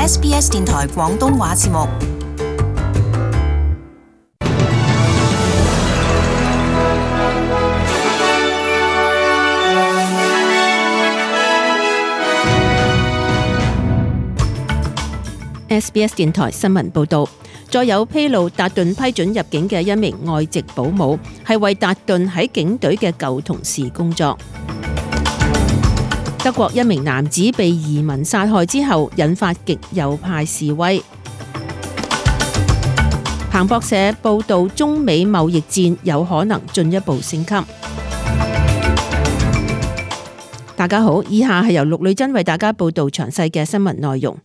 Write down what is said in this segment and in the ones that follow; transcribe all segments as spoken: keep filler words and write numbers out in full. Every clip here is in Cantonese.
S B S 電台廣東話節目。S B S 電台新聞報道，再有披露達頓批准入境嘅一名外籍保姆，係為達頓喺警隊嘅舊同事工作。德國一名男子被移民殺害之後，引發極右派示威。彭博社報道，中美貿易戰有可能進一步升級。大家好，以下係由陸女真為大家報道詳細嘅新聞內容。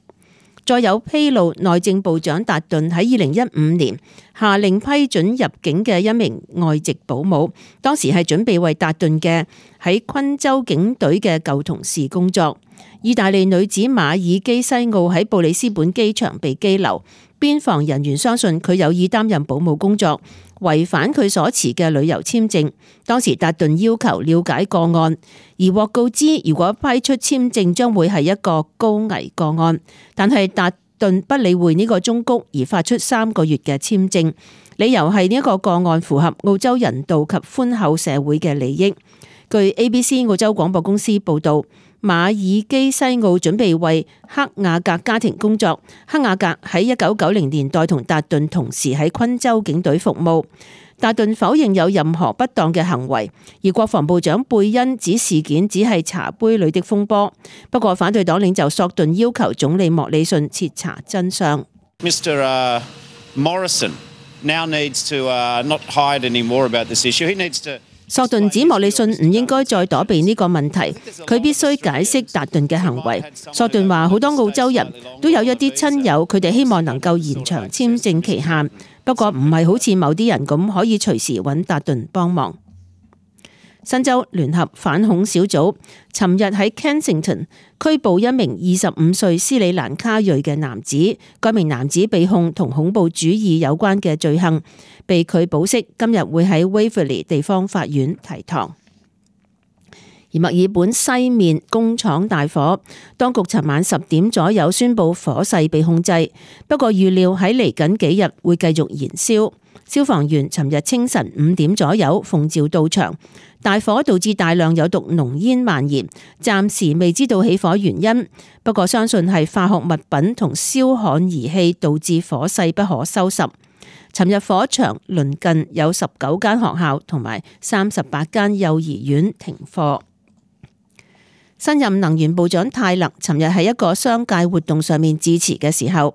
再有披露，內政部長達頓喺二零一五年下令批准入境嘅一名外籍保姆，當時係準備為達頓嘅喺昆州警隊嘅舊同事工作。意大利女子馬爾基西奧喺布里斯本機場被羈留，邊防人員相信佢有意擔任保姆工作，違反佢所持嘅旅遊簽證。當時達頓要求了解個案，而獲告知如果批出簽證將會係一個高危個案，但係達頓不理會呢個忠告而發出三個月嘅簽證，理由係呢一個個案符合澳洲人道及寬厚社會嘅利益。據 A B C 澳洲廣播公司報道，馬爾基西奧準備為克雅格家庭工作。克雅格喺一九九零年代同達頓同時喺昆州警隊服務。達頓否認有任何不當嘅行為，而國防部長貝恩指事件只係茶杯裏的風波。不過反對黨領袖索頓要求總理莫里遜徹查真相。Mr. Morrison now needs to not hide any more about this issue. He needs to 索頓指莫里遜唔應該再躲避呢個問題，佢必須解釋達頓嘅行為。索頓話好多澳洲人都有一啲親友，佢哋希望能夠延長簽證期限，不過唔係好似某啲人咁可以隨時揾達頓幫忙。新州聯合反恐小組尋日喺 Kensington 拘捕一名二十五歲斯里蘭卡裔嘅男子，該名男子被控同恐怖主義有關嘅罪行，被拒保釋，今日會喺 Waverley 地方法院提堂。而墨爾本西面工廠大火，當局尋晚十點左右宣布火勢被控制，不過預料喺嚟緊幾日會繼續燃燒。消防員尋日清晨五點左右奉召到場，大火導致大量有毒濃煙蔓延，暫時未知道起火原因，不過相信係化學物品同燒焊儀器導致火勢不可收拾。尋日火場鄰近有十九間學校同埋三十八間幼兒園停課。新任能源部長泰勒尋日喺一個商界活動上面致辭嘅時候，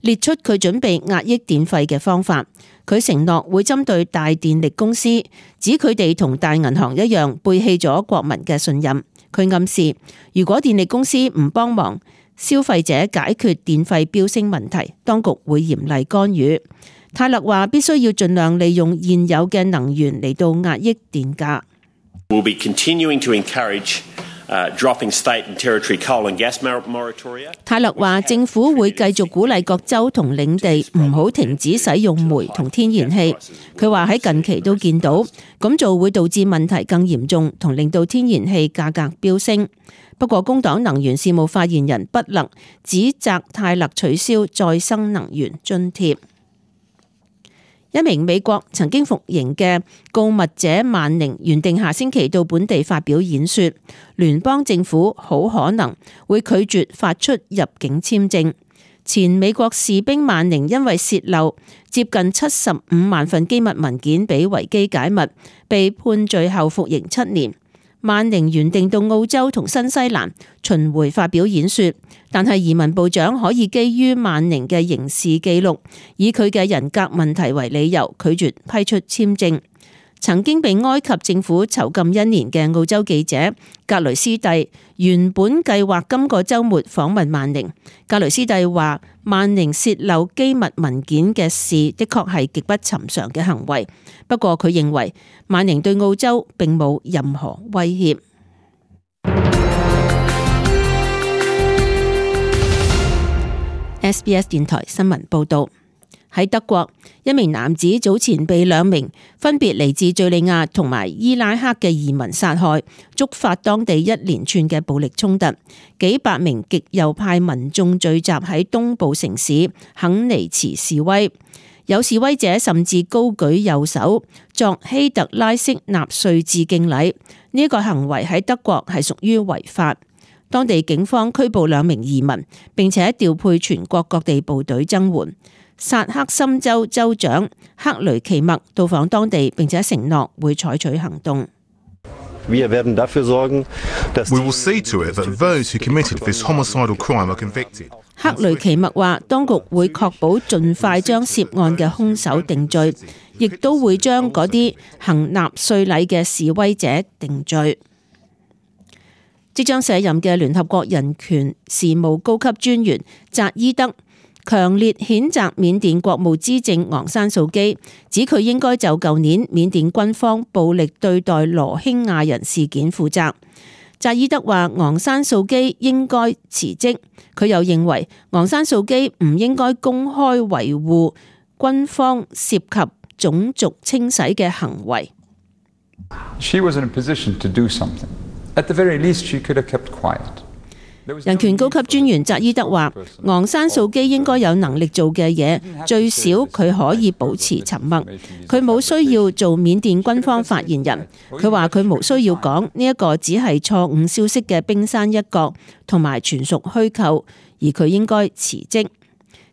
列出佢準備壓抑電費嘅方法。佢承諾會針對大電力公司，指佢哋同大銀行一樣背棄咗國民嘅信任。佢暗示，如果電力公司唔幫忙消費者解決電費飆升問題，當局會嚴厲干預。泰勒話必須要盡量利用現有嘅能源嚟到壓抑電價。We'll be continuing to encourage Uh, dropping state and territory coal and gas moratoria. 泰勒話政府會繼續鼓勵各州同領地唔好停止使用煤同天然氣。佢話喺近期都見到咁做會導致問題更嚴重，同令到天然氣價格飆升。不過工黨能源事務發言人不勒指責泰勒取消再生能源津貼。一名美國曾經服刑嘅告密者曼寧原定下星期到本地發表演說，聯邦政府好可能會拒絕發出入境簽證。前美國士兵曼寧因為洩漏接近七十五萬份機密文件俾維基解密，被判罪後服刑七年。曼寧原定到澳洲同新西蘭巡迴發表演說，但係移民部長可以基於曼寧嘅刑事記錄，以佢嘅人格問題為理由拒絕批出簽證。曾經被埃及政府囚禁一年嘅澳洲記者格雷斯蒂原本計劃今個週末訪問曼寧。格雷斯蒂話曼寧洩漏機密文件嘅事的確係極不尋常嘅行為，不過佢認為曼寧對澳洲並冇任何威脅。S B S 電台新聞報道。喺德國，一名男子早前被兩名分別嚟自敘利亞同埋伊拉克嘅移民殺害，觸發當地一連串嘅暴力衝突。幾百名極右派民眾聚集喺東部城市肯尼茨示威，有示威者甚至高舉右手作希特拉式納粹致敬禮。呢、這個行為喺德國係屬於違法。當地警方拘捕兩名移民，並且調配全國各地部隊增援。薩克森州州長克雷奇默到訪當地，並且承諾會採取行動。Wir werden dafür sorgen, dass We will see to it that those who committed this homicidal crime are convicted. 克雷奇默話，當局會確保盡快將涉案嘅兇手定罪，亦都會將嗰啲行納粹禮嘅示威者定罪。即將卸任嘅聯合國人權事務高級專員扎伊德強烈譴責緬甸國務資政昂山素基，指佢應該就舊年緬甸軍方暴力對待羅興亞人事件負責。扎伊德話昂山素基應該辭職，佢又認為昂山素基唔應該公開維護軍方涉及種族清洗嘅行為。She was in a position to do something. At the very least, she could have kept quiet. 人權高級專員扎伊德話昂山素基應該有能力做嘅嘢，最少佢可以保持沉默。佢冇需要做緬甸軍方發言人。佢話佢冇需要講呢一個只係錯誤消息嘅冰山一角，同埋全屬虛構，而佢應該辭職。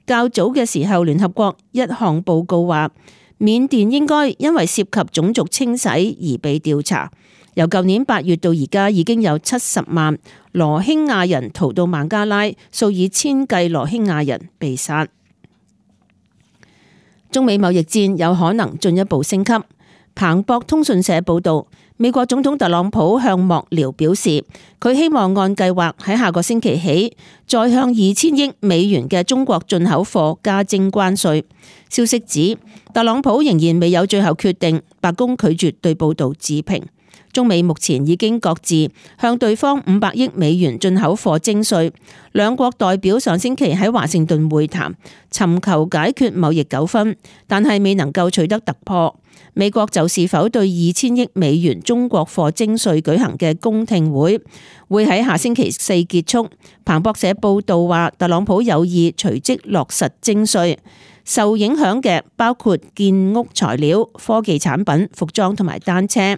較早嘅時候，聯合國一項報告話緬甸應該因為涉及種族清洗而被調查。由舊年八月到而家，已經有七十萬羅興亞人逃到孟加拉，數以千計羅興亞人被殺。中美貿易戰有可能進一步升級。彭博通訊社報導，美國總統特朗普向幕僚表示，佢希望按計劃喺下個星期起，再向二千億美元嘅中國進口貨加徵關稅。消息指，特朗普仍然未有最後決定，白宮拒絕對報導置評。中美目前已經各自向對方五百億美元進口貨徵稅，兩國代表上星期喺華盛頓會談，尋求解決貿易糾紛，但係未能夠取得突破。美國就是否對二千億美元中國貨徵稅舉行嘅公聽會，會喺下星期四結束。彭博社報道話，特朗普有意隨即落實徵稅，受影響嘅包括建屋材料、科技產品、服裝同埋單車。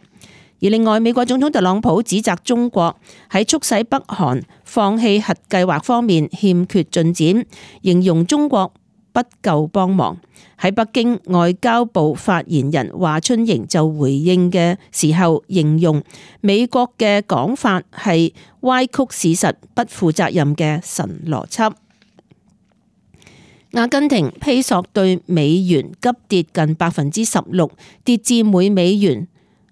而另外，美國總統特朗普指責中國喺促使北韓放棄核計劃方面欠缺進展，形容中國不夠幫忙。喺北京，外交部發言人華春瑩就回應嘅時候，形容美國嘅講法係歪曲事實、不負責任嘅神邏輯。阿根廷披索對美元急跌近百分之十六，跌至每美元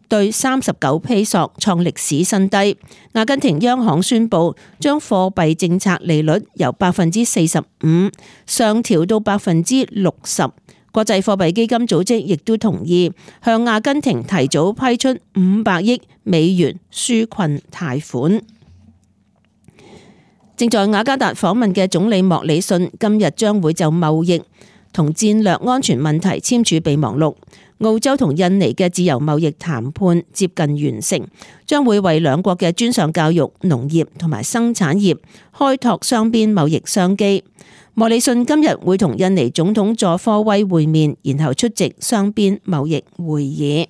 對三十九披索，創歷史新低。阿根廷央行宣布將貨幣政策利率由百分之四十五上調到百分之六十。國際貨幣基金組織亦都同意向阿根廷提早批出五百億美元紓困貸款。正在雅加達訪問嘅總理莫里遜今日將會就貿易同戰略安全問題簽署備忘錄。澳洲同印尼嘅自由貿易談判接近完成，將會為兩國嘅專上教育、農業同埋生產業開拓雙邊貿易商機。莫里遜今日會同印尼總統佐科威會面，然後出席雙邊貿易會議。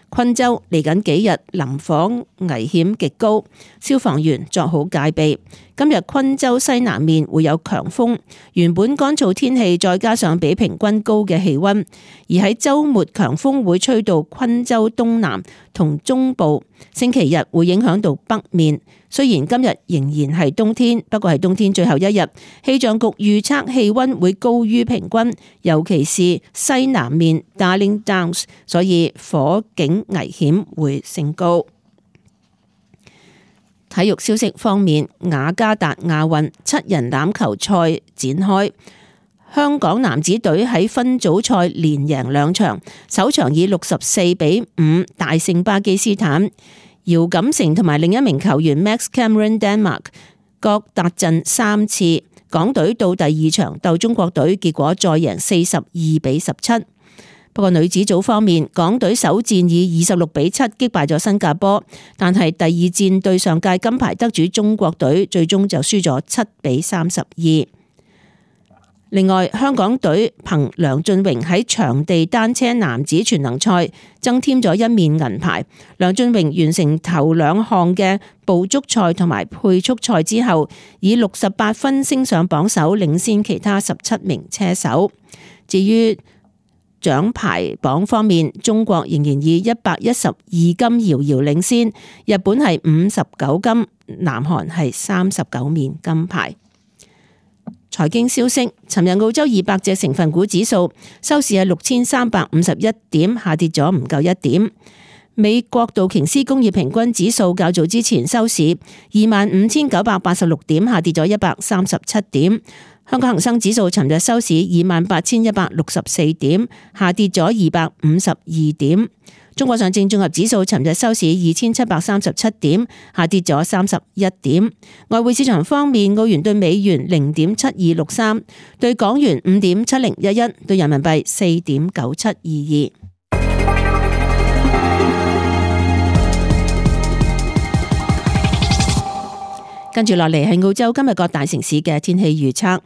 昆州嚟緊幾日林火危險極高，消防員作好戒備。今日昆州西南面會有強風，原本乾燥天氣再加上比平均高嘅氣溫，而喺週末強風會吹到昆州東南同中部，星期日會影響到北面。雖然今日仍然係冬天，不過係冬天最後一日，氣象局預測氣溫會高於平均，尤其是西南面 Darling Downs， 所以火警危險會升高。體育消息方面，雅加達亞運七人欖球賽展開，香港男子隊喺分組賽連贏兩場，首場以六十四比五大勝巴基斯坦。姚錦成同埋另一名球員 Max Cameron Denmark 各達陣三次。港隊到第二場鬥中國隊，結果再贏四十二比十七。不過女子組方面，港隊首戰以二十六比七擊敗咗新加坡，但係第二戰對上屆金牌得主中國隊，最終就輸咗七比三十二。另外，香港隊憑梁峻榮喺場地單車男子全能賽增添咗一面銀牌。梁峻榮完成頭兩項嘅捕捉賽同埋配速賽之後，以六十八分升上榜首，領先其他十七名車手。至於獎牌榜方面，中國仍然以一百一十二金遙遙領先，日本係五十九金，南韓係三十九面金牌。財經消息，尋日澳洲二百隻成分股指數收市係六千三百五十一點，下跌咗唔夠一點。美國道瓊斯工業平均指數較早之前收市二萬五千九百八十六點，下跌咗一百三十七點。香港恒生指數尋日收市二萬八千一百六十四點，下跌咗二百五十二點。中國上證綜合指數尋日收市二千七百三十七點，下跌咗三十一點。外匯市場方面，澳元對美元零點七二六三，對港元五點七零一一，對人民幣四點九七二二。跟住落嚟係澳洲今日各大城市嘅天氣預測。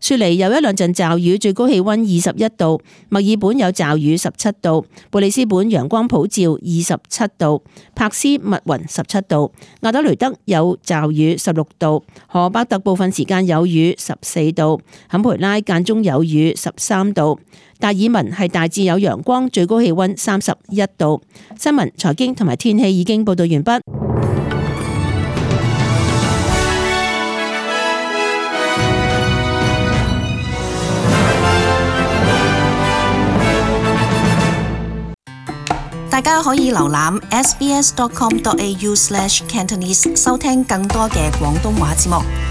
雪梨有一兩陣驟雨，最高氣溫二十一度；墨爾本有驟雨十七度；布里斯本陽光普照二十七度；珀斯密雲十七度；亞德雷德有驟雨十六度；荷伯特部分時間有雨十四度；坎培拉間中有雨十三度；達爾文係大致有陽光，最高氣溫三十一度。新聞、財經同埋天氣已經報道完畢。大家可以瀏覽 s b s dot com dot a u slash cantonese 收聽更多嘅廣東話節目。